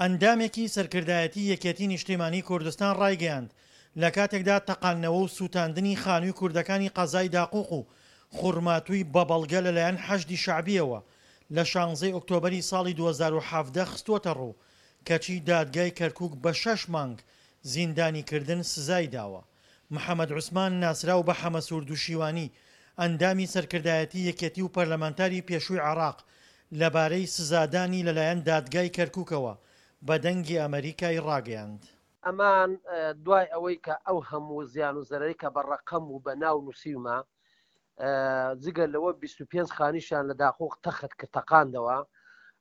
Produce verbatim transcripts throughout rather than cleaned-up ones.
ئەندامێکی سەرکردایەتی یەکێتی نیشتیمانی کوردستان ڕایگەیاند، لە کاتێکدا تەقاندنەوە و سووتاندنی خانووی کوردەکانی قەزای داقوق و خورماتووی بە بەڵگە لەلایەن حەشدی شەعبییەوە لە شانزەی ئۆکتۆبەری ساڵی دوو هەزار و حەڤدە خستووەتەڕوو، کەچی دادگای کەرکوک بە شەش مانگ زیندانیکردن سزای داوە. محەمەد عوسمان ناسراو بە حەمەسوور دوشیوانی، ئەندامی سەرکردایەتی یەکێتی و پەرلەمانتاری پێشووی عێراق، لەبارەی سزادانی لەلایەن دادگای کەرکوکەوە بە دەنگی ئەمەریکای ڕاگەیاند. ئەمان دوای ئەوەی کە ئەو هەموو زیان و زەرەری کە بە ڕەقەم و بە ناو نووسیومە، جگە لەوە بیست و پێنج خانیشیان لە داقوق تەخت کرد، تەقاندەوە،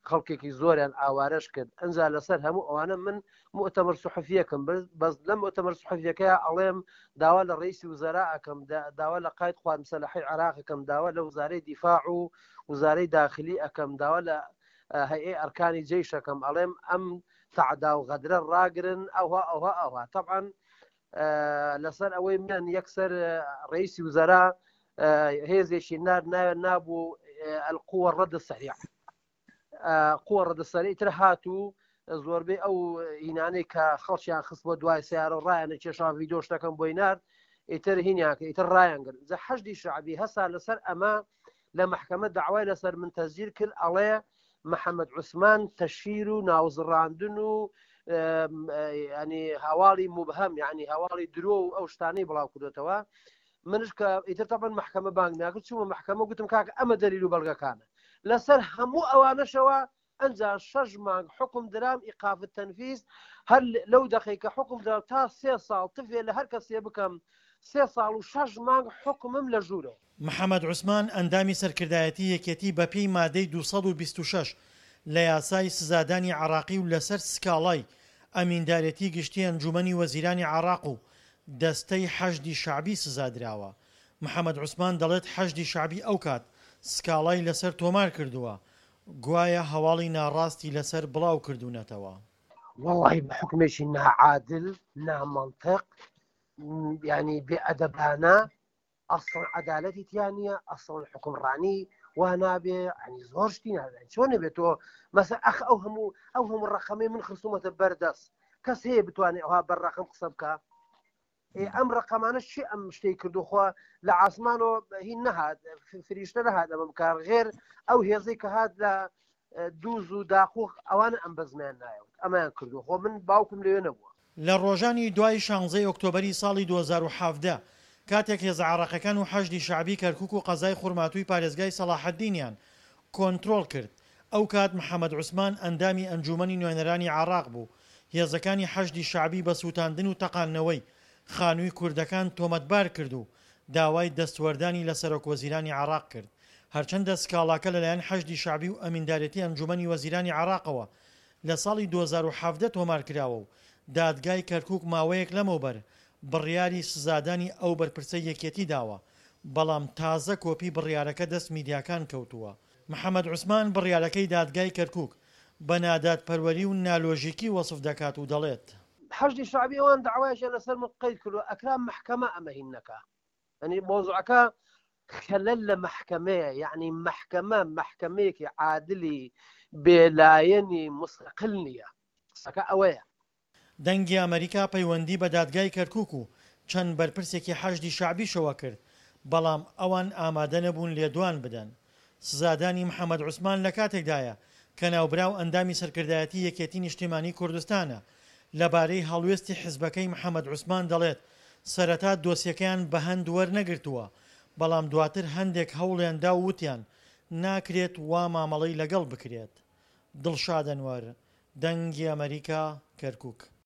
خەڵکێکی زۆریان ئاوارەش کرد. ئەنجا لەسەر هەموو ئەوانە من مؤتەمەر سوحفیەکەم برد، بەس لە مؤتەمەر سوحفیەکەیا ئەڵێم داوا لە ڕئیسی وزەرا ئەکەم، داوا لە قاید قوات مسەلحەی عێراق ئەکەم، داوا لە وزارەی دیفاع و وزارەی داخلی ئەکەم، داوا لە هەیئەی ئەرکانی جەیش ئەکەم، ئەڵێم ئەم تەعدا و غەدرە ڕاگرن، ئەوها ئەوها ئەوها. طبعا لەسەر ئەوەی من یەکسەر ڕئیسی وزەرا هێزێکی نار ناوێ نابوو القوة الرد السريع، قوة الرد السريع تر هاتوو زۆربەی ئەو هینانەی کە خەڵکیان خست بۆ دوای سیارە و ڕایانە کێشان ڤیدیۆ شتەکەم بۆی نارد، ئیتر هینیان کرد، ئیتر ڕایان گرت. جا حەشدی شەعبی هەسا لەسەر ئەمە لە مەحکەمە داوای لەسەر من تەسجیل کرد، ئەڵێ محەممەد عوسمان تەشهیر و ناوزڕاندن و ینی هەواڵی مبهم، یعنی هەواڵی درۆ و ئەو شتانەی بڵاو کردوێتەوە. منش کە ئیتر تەبەن مەحکەمە بانگ ناکرد، چوومە مەحکەمە گوتم کاکە ئەمە دەلیل و بەڵگەکانە. لەسەر هەموو ئەوانەشەوە ئەنجا شەش مانگ حکم درام ئیقاف التەنفیز، هەر لەو دەقەی کە حکم درام تا سێ ساڵ تفێ لە هەر کەسێ بکەم، سێ ساڵ و شەش مانگ حکمم لە ژوورەوە. محەممەد عوسمان ئەندامی سەرکردایەتی یەکێتی بە پێی مادەی دوو سەد و بیست و شەش لە یاسای سزادانی عێراقی و لەسەر سکاڵای ئەمیندارێتی گشتی ئەنجومەنی وەزیرانی عێراق و دەستەی حەشدی شەعبی سزادراوە. محەممەد عوسمان دەڵێت حەشدی شەعبی ئەو کات سکاڵای لەسەر تۆمار کردووە، گوایە هەواڵی ناڕاستی لەسەر بڵاو کردوونەتەوە. وەڵی بە حکمێکی ناعادل، نامەنطق، ینی بێئەدەبانە، ئەسڵ عەدالەتی تیا نییە، ئەسڵ حکومڕانی وا نابێ، ینی زۆر شتی نابێ. چۆن نەبێت تۆ مەسە ئەخ ئەو هەموو، ئەو هەموو ڕەقەمەی من خستومەتە بەردەست، کەس هەیە بتوانێت ئەوها بەر ڕەقەم قسە بکە؟ ئێ ئەم ڕەقەمانە چی ئەم شتەی کردوخوا لە ئاسمانەوە هین نەهات، فریشتە نەهات ئەمە بکار، غێر ئەو هێزەی کە هات لە دووز و داقوق ئەوانە ئەم بەزمیان نایەوت، ئەمەیان کردو. خۆ من باوکم لەوێ نەبووە. لە ڕۆژانی دوای شانزەی ئۆکتۆبەری ساڵی دوو هەزار و حەڤدە کاتێک هێزە عێراقیەکان و حەشدی شەعبی کەرکوک و قەزای خورماتووی پارێزگای سەڵاحەدینیان کۆنترۆڵ کرد، ئەو کات محەممەد عوسمان ئەندامی ئەنجومەنی نوێنەرانی عێراق بوو، هێزەکانی حەشدی شەعبی بە سووتاندن و تەقاندنەوەی خانووی کوردەکان تۆمەتبار کرد و داوای دەستوەردانی لە سەرۆک وەزیرانی عێراق کرد. هەرچەندە سکاڵاکە لەلایەن حەشدی شەعبی و ئەمیندارێتی ئەنجومەنی وەزیرانی عێراقەوە لە ساڵی دوو هەزار و حەڤدە تۆمار کراوە و دادگای کەرکوک ماوەیەک لەمەوبەر بڕیاری سزادانی ئەو بەرپرسەی یەکێتی داوە، بەڵام تازە کۆپی بڕیارەکە دەست میدیاکان کەوتووە. محەممەد عوسمان بڕیارەکەی دادگای کەرکوک بە نادادپەروەری و نالۆژیکی وەصف دەکات و دەڵێت حەشدی شەعبی ئەوان داوایشیان لەسەر من قەید کردووە، ئەکرا مەحکەمە ئەمە هین نەکا. یعنی مۆزوعەکە خەلەل لە مەحکەمەیە، یعنی مەحکەمە مەحکەمەیەکی عادلی بێلایەنی مستەقل نییە. قسەکە ئەوەیە. دەنگی ئەمریکا پەیوەندی بە دادگای کەرکوک و چەند بەرپرسێکی حەشدی شەعبیشەوە کرد، بەڵام ئەوان ئامادە نەبوون لێدوان بدەن. سزادانی محەممەد عوسمان لە کاتێکدایە کە ناوبراو ئەندامی سەرکردایەتی یەکێتی نیشتیمانی کوردستانە. لەبارەی هەڵوێستی حزبەکەی محەممەد عوسمان دەڵێت سەرەتا دۆسیەکەیان بە هەند وەرنەگرتووە، بەڵام دواتر هەندێک هەوڵیان دا و وتیان ناکرێت وا مامەڵەی لەگەڵ بکرێت. دڵشاد ئەنوەر، دەنگی ئەمریکا، کەرکوک.